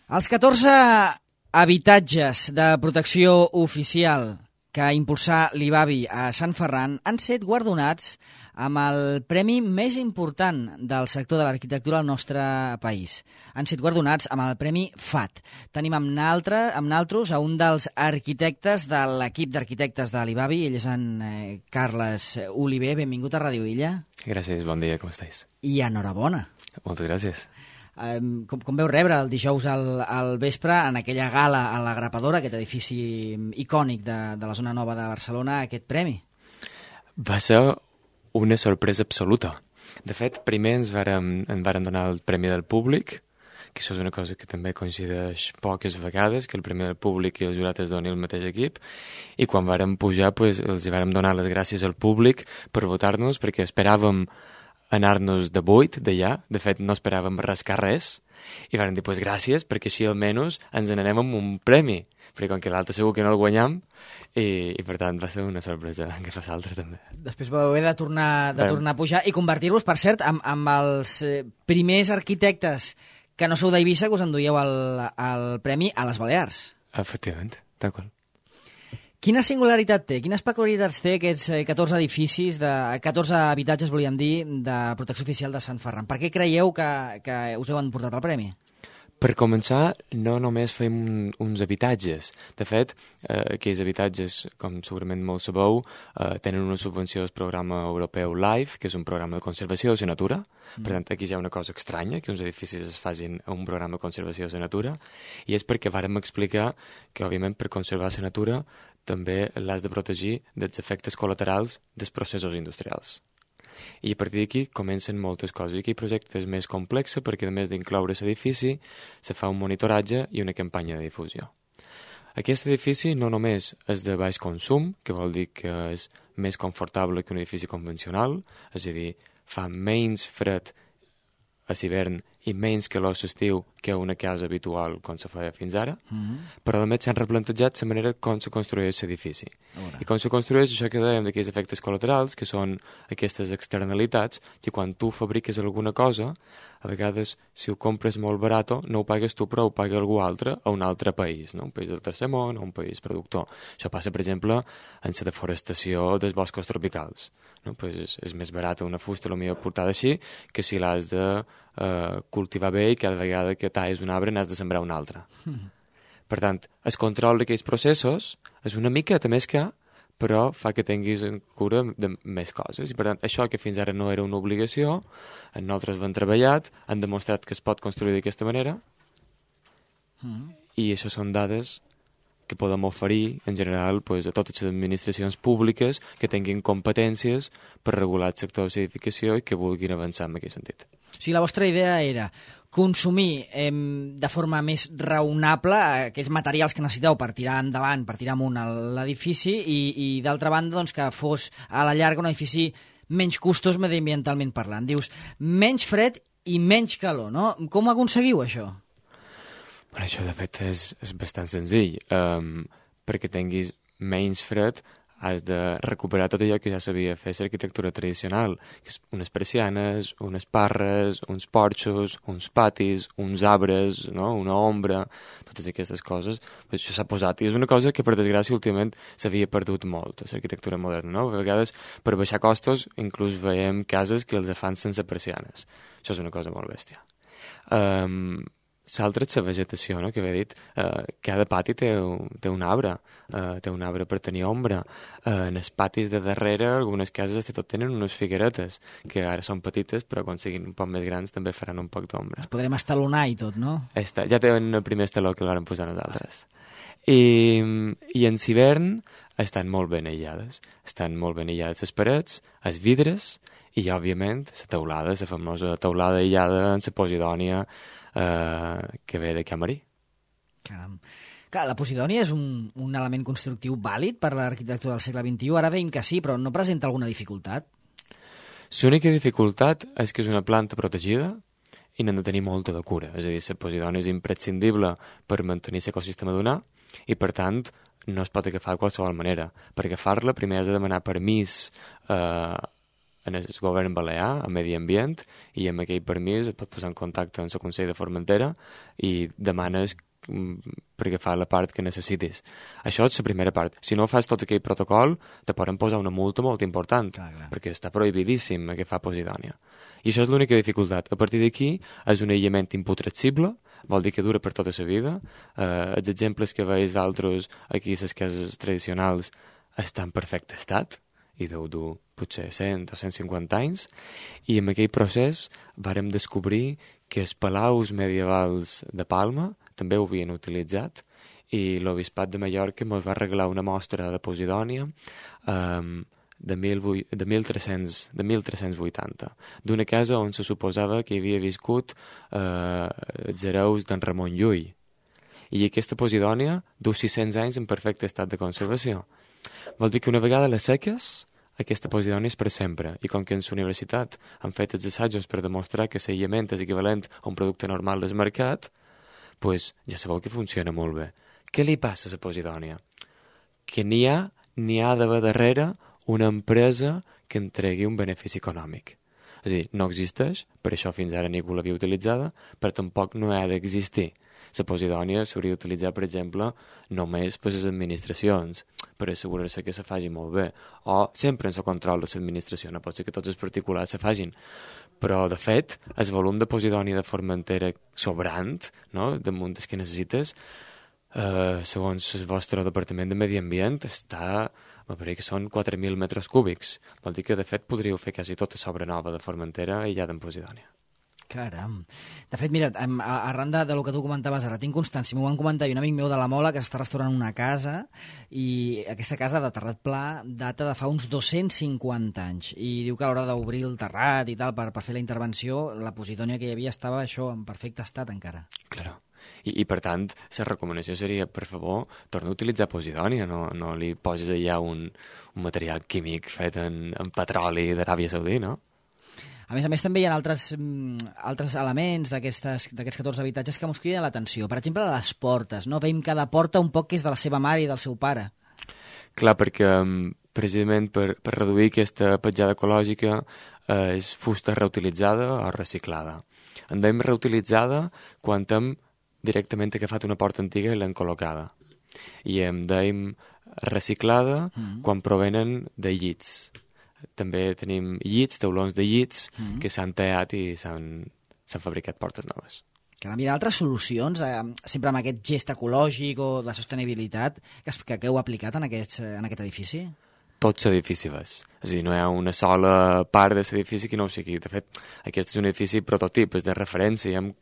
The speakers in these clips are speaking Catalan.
Els 14 habitatges de protecció oficial que impulsà l'IBABI a Sant Ferran han set guardonats amb el premi més important del sector de l'arquitectura al nostre país. Han set guardonats amb el premi FAT. Tenim amb naltros a un dels arquitectes de l'equip d'arquitectes de l'IBABI. Ell és en Carles Oliver. Benvingut a Ràdio Illa. Gràcies, bon dia, com estàs? I enhorabona. Moltes gràcies. Com veu rebre el dijous al vespre en aquella gala a la Grapadora, aquest edifici icònic de la zona nova de Barcelona, aquest premi? Va ser una sorpresa absoluta. De fet, primer ens varen donar el premi del públic, que això és una cosa que també coincideix poques vegades, que el premi del públic i el jurat es doni el mateix equip, i quan vàrem pujar els vàrem donar les gràcies al públic per votar-nos, perquè esperàvem anar-nos de buit d'allà, de fet no esperàvem rascar res, i vàrem dir, pues gràcies, perquè així almenys ens n'anem amb un premi, perquè com que l'altre segur que no el guanyam, i per tant va ser una sorpresa que fa l'altre també. Després vau haver de tornar a pujar i convertir-vos, per cert, amb els primers arquitectes que no sou d'Eivissa que us enduieu el premi a les Balears. Efectivament, d'acord. Quina singularitat té, quines peculiaritats té aquests 14 edificis, 14 habitatges, volíem dir, de protecció oficial de Sant Ferran? Per què creieu que us heu emportat el premi? Per començar, no només fem uns habitatges. De fet, aquells habitatges, com segurament molt sabeu, tenen una subvenció del programa europeu LIFE, que és un programa de conservació de la natura. Per tant, aquí hi ha una cosa estranya, que uns edificis es facin a un programa de conservació de la natura, i és perquè vàrem explicar que, òbviament, per conservar la natura també l'has de protegir dels efectes col·laterals dels processos industrials. I a partir d'aquí comencen moltes coses. I aquí el projecte és més complex perquè, a més d'incloure l'edifici, se fa un monitoratge i una campanya de difusió. Aquest edifici no només és de baix consum, que vol dir que és més confortable que un edifici convencional, és a dir, fa menys fred a l'hivern i menys calor a l'estiu que una casa habitual com se feia fins ara, però a més s'han replantejat la manera com se construeix l'edifici. I com se construeix això que dèiem d'aquells efectes col·laterals, que són aquestes externalitats, que quan tu fabriques alguna cosa, a vegades, si ho compres molt barat, no ho pagues tu, però ho paga algú altre a un altre país, no? Un país del tercer món o un país productor. Això passa, per exemple, en la deforestació dels boscos tropicals. No? Pues és més barat una fusta, potser portada així, que si l'has de cultivar bé i cada vegada que talles un arbre n'has de sembrar un altre. Per tant, el control d'aquells processos és una miqueta més car, però fa que tinguis en cura de més coses. I per tant, això que fins ara no era una obligació, nosaltres ho hem treballat, han demostrat que es pot construir d'aquesta manera, i això són dades que podem oferir, en general, a totes les administracions públiques que tinguin competències per regular el sector de l'edificació i que vulguin avançar en aquest sentit. O sigui, la vostra idea era consumir de forma més raonable aquells materials que necessiteu per tirar endavant, per tirar amunt l'edifici i d'altra banda, doncs, que fos a la llarga un edifici menys costós mediambientalment parlant. Dius, menys fred i menys calor, no? Com aconseguiu això? Bueno, això, de fet, és bastant senzill. Perquè tinguis menys fred, has de recuperar tot allò que ja sabia fer l'arquitectura tradicional, que és unes persianes, unes parres, uns porxos, uns patis, uns arbres, no? Una ombra, totes aquestes coses. Això s'ha posat, i és una cosa que, per desgràcia, últimament s'havia perdut molt, a l'arquitectura moderna, no? A vegades, per baixar costos, inclús veiem cases que els fan sense persianes. Això és una cosa molt bèstia. L'altre és la vegetació, no?, que havia dit. Cada pati té un arbre per tenir ombra. En els patis de darrere, algunes cases tot tenen unes figueretes, que ara són petites, però quan siguin un poc més grans també faran un poc d'ombra. Els podrem estalonar i tot, no? Ja tenen el primer estaló que l'han posat nosaltres. I en l'hivern estan molt ben aïllades. Estan molt ben aïllades les parets, els vidres, i, òbviament, la teulada, la famosa teulada aïllada en la Posidònia, que ve de Camarí. Caram. Clar, la Posidònia és un element constructiu vàlid per l'arquitectura del segle XXI. Ara veiem que sí, però no presenta alguna dificultat? L'única dificultat és que és una planta protegida i n'hem de tenir molta de cura. És a dir, la Posidònia és imprescindible per mantenir l'ecosistema d'una i, per tant, no es pot agafar de qualsevol manera. Per agafar-la, primer has de demanar permís a en el govern balear, a Medi Ambient, i amb aquell permís et pots posar en contacte amb el Consell de Formentera i demanes per agafar la part que necessitis. Això és la primera part. Si no fas tot aquell protocol, te poden posar una multa molt important, clar. Perquè està prohibidíssim agafar posidònia. I això és l'única dificultat. A partir d'aquí és un aïllament imputrescible, vol dir que dura per tota la vida. Els exemples que veus d'altres aquí a les cases tradicionals estan en perfecte estat, i deu dur potser 100 o 150 anys, i en aquell procés vàrem descobrir que els palaus medievals de Palma també ho havien utilitzat, i l'Obispat de Mallorca ens va regalar una mostra de posidònia de 1380, d'una casa on se suposava que hi havia viscut els hereus d'en Ramon Llull. I aquesta posidònia du 600 anys en perfecte estat de conservació. Vol dir que una vegada la seques, aquesta posidònia és per sempre, i com que en la universitat han fet els assajos per demostrar que l'aïllament és equivalent a un producte normal del mercat, doncs ja sabeu que funciona molt bé. Què li passa a la posidònia? Que n'hi ha d'haver darrere una empresa que entregui un benefici econòmic. És a dir, no existeix, per això fins ara ningú l'havia utilitzada, però tampoc no ha d'existir. La posidònia s'hauria d'utilitzar, per exemple, només per les administracions, per assegurar-se que se faci molt bé, o sempre en el control de l'administració, no pot ser que tots els particulars se facin. Però, de fet, el volum de posidònia de Formentera sobrant, no?, damunt del que necessites, segons el vostre departament de Medi Ambient, està, me pareix que són 4.000 metres cúbics. Vol dir que, de fet, podríeu fer quasi tota l'obra nova de Formentera aïllada en posidònia. Caram. De fet, mira, arran del que tu comentaves ara, tinc constància, m'ho van comentar un amic meu de la Mola que està restaurant una casa, i aquesta casa de terrat pla data de fa uns 250 anys, i diu que a l'hora d'obrir el terrat i tal per fer la intervenció, la posidònia que hi havia estava això en perfecte estat encara. Claro. I per tant, la recomanació seria, per favor, torna a utilitzar posidònia, no li poses allà un material químic fet en petroli d'Aràbia Saudí, no? A més, també hi ha altres elements d'aquests 14 habitatges que mos criden l'atenció. Per exemple, les portes, no? Veiem cada porta un poc que és de la seva mare i del seu pare. Clar, perquè precisament per reduir aquesta petjada ecològica és fusta reutilitzada o reciclada. En dèiem reutilitzada quan hem directament agafat una porta antiga i l'hem col·locada. I en dèiem reciclada quan provenen de llits. També tenim llits, taulons de llits, que s'han tallat i s'han fabricat portes noves. Caram, hi ha altres solucions, sempre amb aquest gest ecològic o de sostenibilitat, que heu aplicat en aquest edifici? Tot l'edifici és. És a dir, no hi ha una sola part de l'edifici que no ho sigui. De fet, aquest és un edifici prototip, és de referència, i hem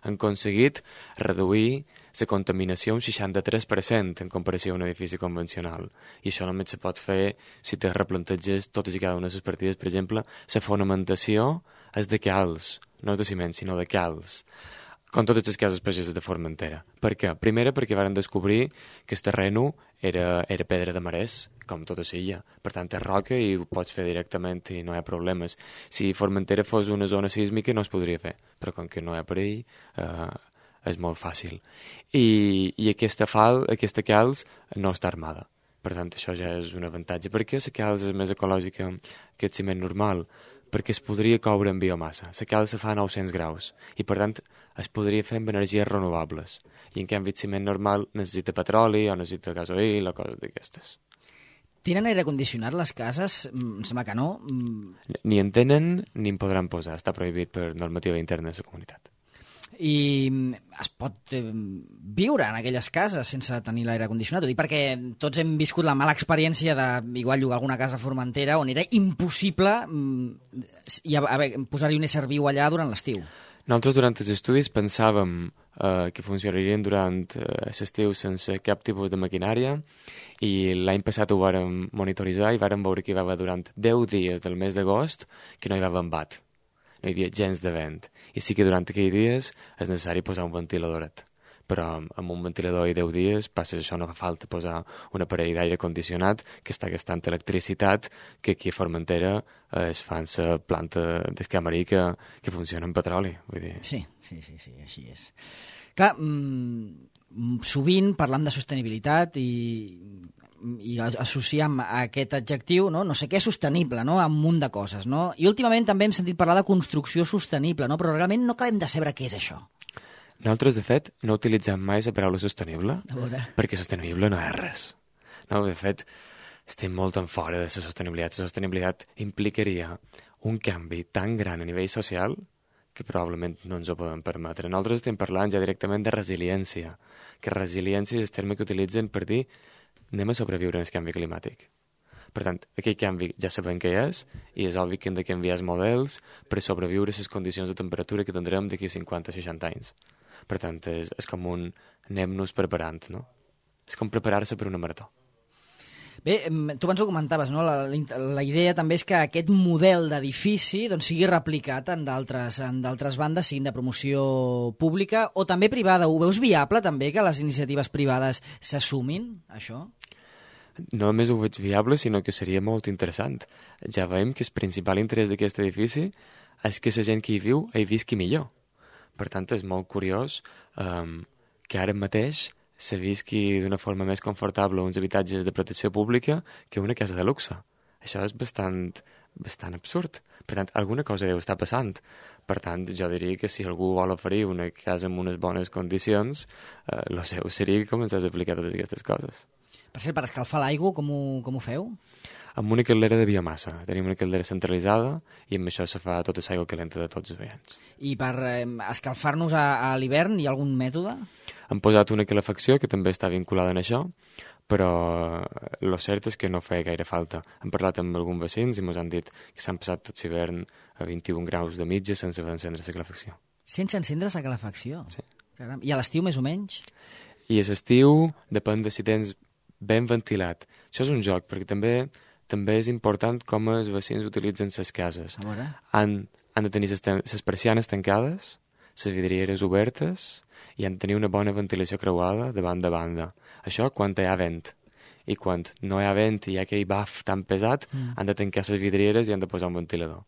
aconseguit reduir la contaminació un 63% en comparació a un edifici convencional. I això només se pot fer si te replanteges totes i cada una de les partides. Per exemple, la fonamentació és de calç, no és de ciment, sinó de calç, com totes les cases pageses de Formentera. Per què? Primera, perquè varen descobrir que el terreno era pedra de marès, com tota l'illa. Per tant, és roca i ho pots fer directament i no hi ha problemes. Si Formentera fos una zona sísmica no es podria fer, però com que no hi ha perill, és molt fàcil. I aquesta calç no està armada. Per tant, això ja és un avantatge. Per què la calç és més ecològica que el ciment normal? Perquè es podria coure en biomassa. La calç se fa a 900 graus i, per tant, es podria fer amb energies renovables. I en canvi el ciment normal necessita petroli o necessita gasoil o coses d'aquestes. Tenen aire condicionat les cases? Em sembla que no. Ni en tenen ni en podran posar. Està prohibit per normativa interna de la comunitat. I es pot viure en aquelles cases sense tenir l'aire condicionat? Ho dic perquè tots hem viscut la mala experiència de igual llogar alguna casa a Formentera on era impossible posar-hi un ésser viu allà durant l'estiu. Nosaltres durant els estudis pensàvem que funcionarien durant l'estiu sense cap tipus de maquinària, i l'any passat ho vàrem monitoritzar i vàrem veure que hi va haver durant 10 dies del mes d'agost que no hi va haver embat. No hi havia gens de vent. I sí que durant aquells dies és necessari posar un ventiladoret. Però amb un ventilador i 10 dies passes això, no fa falta posar un aparell d'aire condicionat que està gastant electricitat, que aquí a Formentera es fa en la planta d'escamarí que funciona amb petroli. Vull dir. Sí, així és. Clar, sovint parlam de sostenibilitat i i associem a aquest adjectiu, no sé què és sostenible, no? A un munt de coses, no? I últimament també hem sentit parlar de construcció sostenible, no? Però realment no acabem de saber què és això. Nosaltres, de fet, no utilitzem mai la paraula sostenible, perquè sostenible no és res. No, de fet, estem molt en fora de la sostenibilitat. La sostenibilitat implicaria un canvi tan gran a nivell social que probablement no ens ho podem permetre. Nosaltres estem parlant ja directament de resiliència, que resiliència és el terme que utilitzen per dir anem a sobreviure en el canvi climàtic. Per tant, aquell canvi ja sabem què és, i és obvi que hem de canviar els models per sobreviure a les condicions de temperatura que tindrem d'aquí 50 o 60 anys. Per tant, és com un anem-nos preparant, no? És com preparar-se per una marató. Bé, tu abans ho comentaves, no? La idea també és que aquest model d'edifici doncs, sigui replicat en d'altres bandes, siguin de promoció pública o també privada. Ho veus viable també que les iniciatives privades s'assumin, això? No només ho veig viable, sinó que seria molt interessant. Ja veiem que el principal interès d'aquest edifici és que la gent que hi viu hi visqui millor. Per tant, és molt curiós que ara mateix se visqui d'una forma més confortable uns habitatges de protecció pública que una casa de luxe. Això és bastant absurd. Per tant, alguna cosa deu estar passant. Per tant, jo diria que si algú vol oferir una casa amb unes bones condicions, el seu seria que comencés a aplicar totes aquestes coses. Per cert, per escalfar l'aigua, com ho feu? Amb una caldera de biomassa. Tenim una caldera centralitzada i amb això se fa tota l'aigua calenta de tots els veïns. I per escalfar-nos a l'hivern hi ha algun mètode? Hem posat una calefacció que també està vinculada en això, però el cert és que no feia gaire falta. Hem parlat amb alguns veïns i ens han dit que s'han passat tot l'hivern a 21 graus de mitja sense encendre la calefacció. Sense encendre la calefacció? Sí. Caram. I a l'estiu més o menys? I a l'estiu depèn de si tens ben ventilat. Això és un joc, perquè també és important com els veïns utilitzen les cases. Han de tenir les persianes tancades, les vidrieres obertes i han de tenir una bona ventilació creuada de banda a banda. Això quan hi ha vent. I quan no hi ha vent i hi ha aquell baf tan pesat, han de tancar les vidrieres i han de posar un ventilador.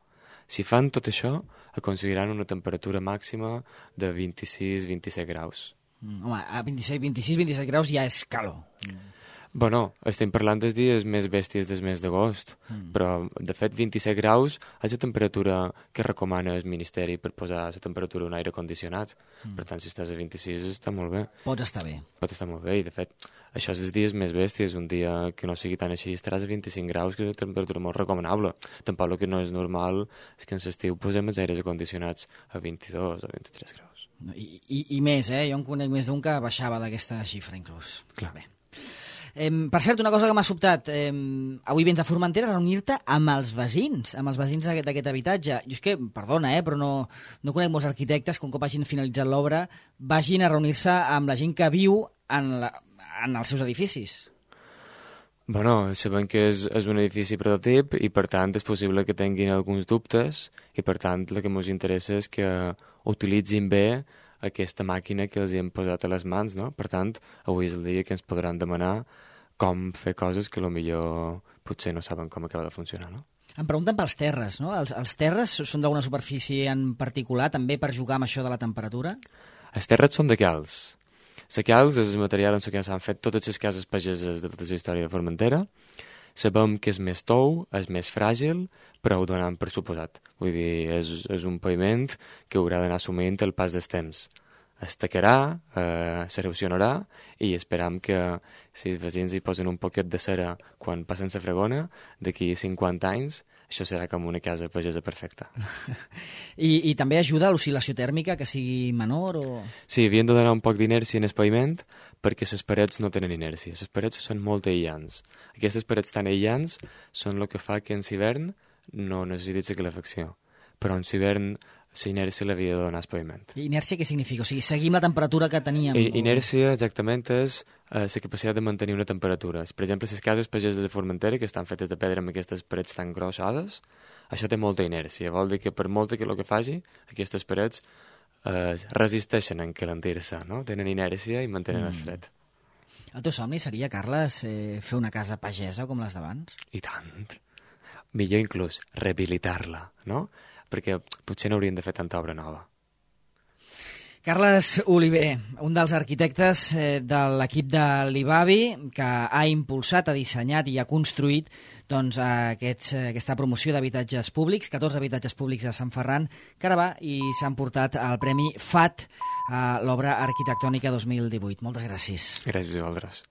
Si fan tot això, aconseguiran una temperatura màxima de 26-27 graus. Home, a 26-27 graus ja és calor. Bueno, estem parlant dels dies més bèsties del mes d'agost, però, de fet, 27 graus és la temperatura que recomana el Ministeri per posar la temperatura d'un aire condicionat. Per tant, si estàs a 26 està molt bé. Pots estar bé. Pot estar molt bé, i, de fet, això és els dies més bèsties. Un dia que no sigui tan així estaràs a 25 graus, que és una temperatura molt recomanable. Tampoc el que no és normal és que en l'estiu posem els aires condicionats a 22 o 23 graus. I més, Jo en conec més d'un que baixava d'aquesta xifra, inclús. Clar. Bé. Per cert, una cosa que m'ha sobtat, avui vens a Formentera a reunir-te amb els veïns d'aquest habitatge. Jo és que, perdona, però no conec molts arquitectes que un cop hagin finalitzat l'obra vagin a reunir-se amb la gent que viu en els seus edificis. Bueno, sabem que és un edifici prototip i, per tant, és possible que tinguin alguns dubtes i, per tant, el que ens interessa és que utilitzin bé aquesta màquina que els hi hem posat a les mans, no? Per tant, avui és el dia que ens podran demanar com fer coses que potser potser no saben com acaba de funcionar, no? Em pregunten pels terres, no? Els terres són d'alguna superfície en particular, també per jugar amb això de la temperatura? Els terres són de calç. La calç és el material en què s'han fet totes les cases pageses de tota la història de Formentera. Sabem que és més tou, és més fràgil, però ho donem per suposat. Vull dir, és un paviment que haurà d'anar assumint el pas dels temps. Es tacarà, s'erosionarà i esperam que si els veïns hi posen un poquet de cera quan passen la fregona, d'aquí 50 anys això serà com una casa pagesa perfecta. I també ajuda a l'oscil·lació tèrmica, que sigui menor? O... Sí, havien de donar un poc d'inèrcia en el paviment perquè les parets no tenen inèrcia. Les parets són molt aïllants. Aquestes parets tan aïllants són el que fa que en l'hivern no necessitis la calefacció. Però en l'hivern la inèrcia l'havia de donar al paviment. Inèrcia què significa? O sigui, seguim la temperatura que teníem? Inèrcia exactament és la capacitat de mantenir una temperatura. Per exemple, les cases pageses de Formentera, que estan fetes de pedra amb aquestes parets tan grossades, això té molta inèrcia. Vol dir que per molta que el que faci, aquestes parets resisteixen a encalentir-se, no? Tenen inèrcia i mantenen el fred. El teu somni seria, Carles, fer una casa pagesa com les d'abans? I tant. Millor inclús rehabilitar-la, no? Perquè potser no haurien de fer tanta obra nova. Carles Oliver, un dels arquitectes de l'equip de l'IBABI, que ha impulsat, ha dissenyat i ha construït aquesta promoció d'habitatges públics, 14 habitatges públics a Sant Ferran, que ara va i s'han portat el Premi FAT a l'obra arquitectònica 2018. Moltes gràcies. Gràcies a vosaltres.